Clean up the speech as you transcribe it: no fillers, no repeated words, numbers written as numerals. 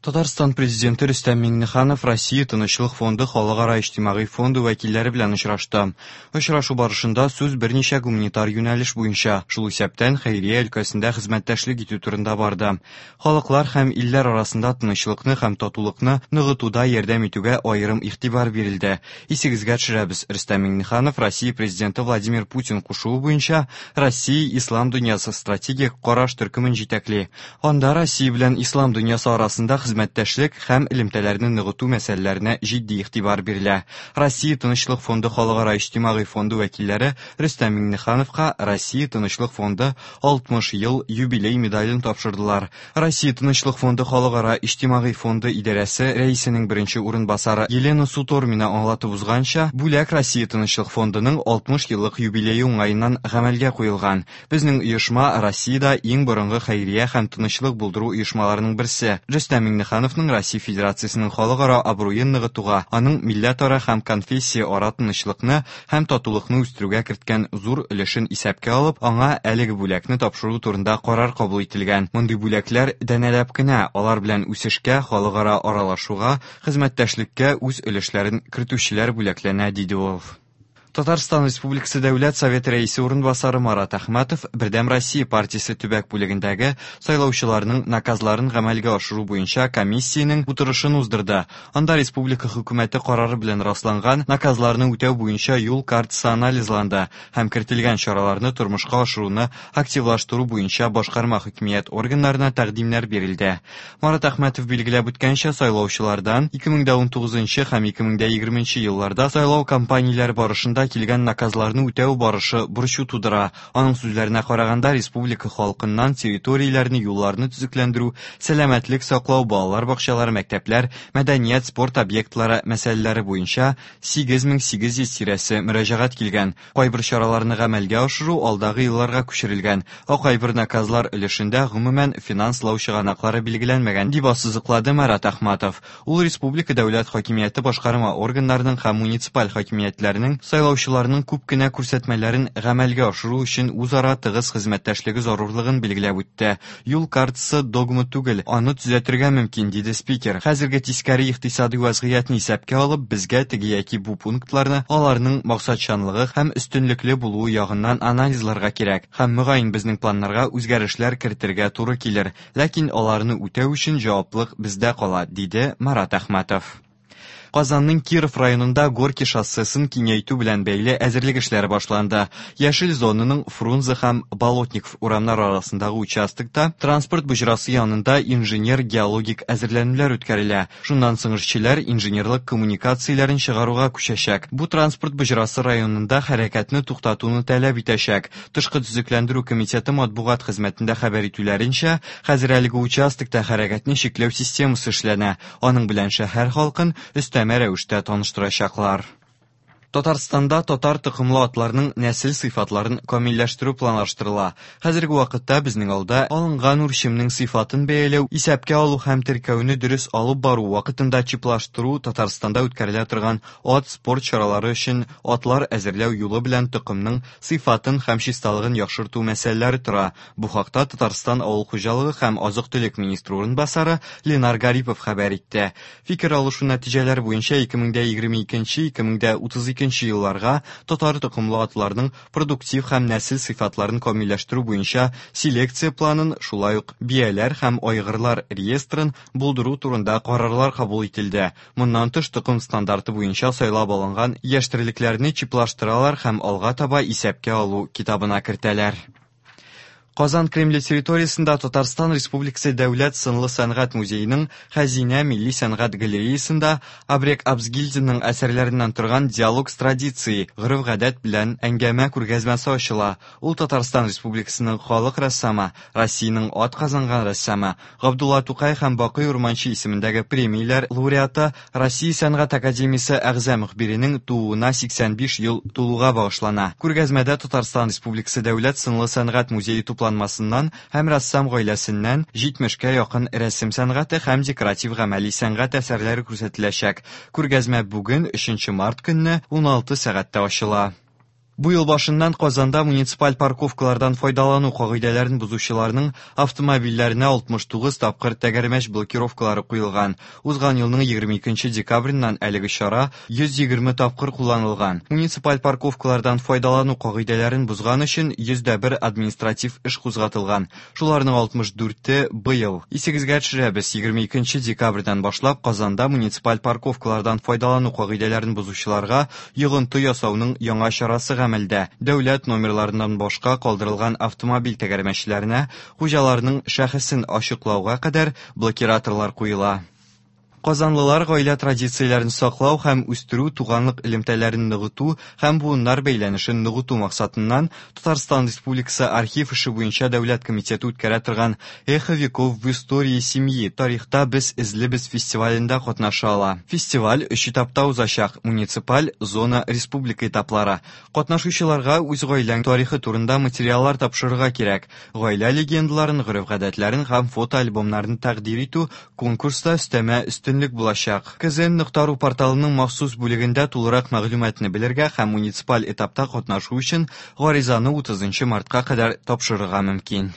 Татарстан Президенты Рөстәм Миңнеханов Россия Тынычлык фонды халыкара иҗтимагый фонды вәкилләре белән очрашты. Очрашу барышында сүз берничә гуманитар юнәлеш буенча, шул исәптән хәйрия өлкәсендә хезмәттәшлек итү турында барды. Халыклар һәм илләр арасында тынычлыкны һәм татулыкны ныгытуда ярдәм итүгә аерым игътибар бирелде. Исегезгә төшерәбез, Рөстәм Миңнеханов Россия Президенты Владимир Путин кушуы буенча Россия Ислам дөньясы стратегик караш төркемен җитәкли. Анда Россия белән ислам дөньясы арасында хезмәттәшлек һәм элемтәләрне ныгыту мәсьәләләренә җитди игътибар бирелә. Россия Тынычлык фонды халыкара иҗтимагый фонды вәкилләре Рөстәм Миңнехановка Россия Тынычлык фонды 60 ел юбилей медален тапшырдылар. Россия Тынычлык фонды халыкара иҗтимагый фонды идарәсе рәисенең беренче урынбасары Елена Сутормина аңлатып узганча, бүләк Россия Тынычлык фондының 60 еллык юбилее уңаеннан гамәлгә куелган. Безнең оешма Россиядә иң борынгы хәйрия һәм тынычлык булдыру оешмаларының берсе. Рөстәм Миңнехановның Россия Федерациясенең халыкара абруен ныгытуга, аның милләтара һәм конфессияара тынычлыкны һәм татулыкны үстерүгә керткән зур өлешен исәпкә алып, аңа әлеге бүләкне тапшыру турында карар кабул ителгән. Мондый бүләкләр данәләп кенә, алар белән үсешкә, халыкара аралашуга, хезмәттәшлеккә үз өлешләрен кертүчеләр бүләкләнә, диде ул. Татарстан Республикасы Дәүләт Советы Рәисе урынбасары Марат Әхмәтов Бердәм Россия партиясе төбәк бүлегендәге сайлаучыларның наказларын гамәлгә ашыру буенча комиссиянең утырышын уздырды. Анда республика хөкүмәте карары белән расланган наказларны үтәү буенча юл картасы анализланды һәм кертелгән чараларны тормышка ашыруны активлаштыру буенча башкарма хакимият органнарына тәкъдимнәр бирелде. Марат Әхмәтов билгеләп үткәнчә, сайлаучылардан 2019 һәм 2020 елларда сайлау кампанияләре барышында килгән наказларны үтәү барышы борчу тудыра. Аның сүзләренә караганда, республика халкыннан территорияләрне, юлларны төзекләндерү, сәламәтлек саклау, балалар бакчалары, мәктәпләр, мәдәният, спорт объектлары мәсьәләләре буенча 8800 тирәсе мөрәҗәгать килгән. Кайбер чараларны гамәлгә ашыру алдагы елларга күчерелгән, ә кайбер наказлар өлешендә гомумән финанслау чыганаклары билгеләнмәгән, дип ассызыклады Марат Әхмәтов. Ул республика дәүләт хакимияте башкарма органнарының һәм муниципаль хакимиятләрнең сайлаучыларның күп кенә күрсәтмәләрен гамәлгә ашыру өчен үзара тыгыз хезмәттәшлеге зарурлыгын билгеләп үтте. Юл картасы догма түгел, аны төзәтергә мөмкин, диде спикер. Хәзерге тискәре икътисади вазгыятьне исәпкә алып, безгә теге яки бу пунктларны аларның максатчанлыгы һәм өстенлекле булуы ягыннан анализларга кирәк. Һәм мөгаен безнең планнарга үзгәрешләр кертергә туры килер. Ләкин аларны үтәү өчен җаваплык бездә кала, диде Марат Әхмәтов. Казанның Киров районында Горки шоссесын киңәйтү белән бәйле әзерлек эшләре башланды. Яшел зонаның Фрунзе һәм Болотников урамнары арасындагы участокта транспорт боҗрасы янында инженер-геологик әзерләнүләр үткәрелә. Шуннан соң эшчеләр инженерлык коммуникацияләрен чыгаруга күчәчәк. Бу транспорт боҗрасы районында хәрәкәтне туктатуны таләп итәчәк. Тышкы төзекләндерү комитеты матбугат хезмәтендә хәбәр итүләренчә, хәзер әлеге участокта хәрәкәтне чикләү системасы эшләнә. Аның белән шәһәр халкын өстәмә рәвештә таныштырачаклар. Татарстанда татар токымлы атларның нәсел сыйфатларын камилләштерү планлаштырыла. Хәзерге вакытта безнең алда алынган үрчемнең сыйфатын бәяләү, исәпкә алу һәм теркәүне дөрес алып бару вакытында чиплаштыру Татарстанда үткәрелә торган ат спорт чаралары өчен атлар әзерләү юлы белән токымның сыйфатын һәм чисталыгын яхшырту мәсьәләләре тора. Бу хакта Татарстан авыл хуҗалыгы һәм азык-төлек министры урынбасары Ленар Гарипов хәбәр итте. Фикер алышу нәтиҗәләре буенча 2022-2032 елларга татар токымлы атларның продуктив һәм нәсел сыйфатларын камилләштерү буенча селекция планын, шулай ук бияләр һәм айгырлар реестрын булдыру турында карарлар кабул ителде. Моннан тыш токым стандарты буенча сайлап алынган яшь терлекләрне чиплаштыралар һәм алга таба исәпкә алу китабына кертәләр. Казан Кремле территориясендә Татарстан Республикасы Дәүләт сынлы сәнгать музееның Хәзинә милли сәнгать галереясында Абрек Абзгильдинның әсәрләреннән торган Диалог с традицией гореф-гадәт белән әңгәмә күргәзмәсе ачыла. Ул Татарстан Республикасының халык рәссамы, Россиянең ат казанган рәссамы, Габдулла Тукай һәм Бакый Урманче исемендәге премияләр лауреаты, Россия сәнгать академиясе әгъза мөхбиренең тууына 85 ел тулуга багышлана. Күргәзмәдә Татарстан Республикасы Дәүләт сынлы сәнгать музее тупланмасыннан һәм рәссам гаиләсеннән 70кә якын рәсем сәнгате һәм декоратив гамәли сәнгать әсәрләре күрсәтеләчәк. Күргәзмә бүген 3 март көнне 16 сәгатьтә ачыла. Бу ел башыннан Казанда муниципаль парковкалардан файдалану кагыйдәләрен бозучыларның автомобильләренә 69 тапкыр тәгәрмәч блокировкалары куелган. Узган елның 22 декабреннән әлеге чара 120 тапкыр кулланылган. Муниципаль парковкалардан файдалану кагыйдәләрен бозган өчен 101 административ эш кузгатылган. Шуларның 64-е быел. Исегезгә төшерәбез, 22 декабрьдән башлап Казанда муниципаль парковкалардан файдалану кагыйдәләрен бозучыларга йогынты ясауның яңа чарасы гамәлдә. Дәүләт номерларыннан башка калдырылган автомобиль тәгәрмәчләренә хуҗаларның шәхесен ачыклауга кадәр блокираторлар куела. Казанлылар гаилә традицияләрен саклау һәм үстерү, туганлык элемтәләрен ныгыту һәм буыннар бәйләнешен ныгыту максатыннан Татарстан Республикасы архив эше буенча дәүләт комитеты үткәрә торган Эхо веков в истории семьи тарихта без эзлебез фестивалендә катнаша ала. Фестиваль өч этапта узачак: муниципаль, зона, республика этаплары. Катнашучыларга үз гаиләң тарихы турында материаллар тапшырырга кирәк. Гаилә легендаларын, гореф-гадәтләрен һәм фотоальбомнарын тәкъдир итү конкурста өстәмә өстенлек булачак. kzn.ru порталының махсус бүлегендә тулырак мәгълүматны белергә һәм муниципаль этапта катнашу өчен гаризаны 30 мартка кадәр тапшырырга мөмкин.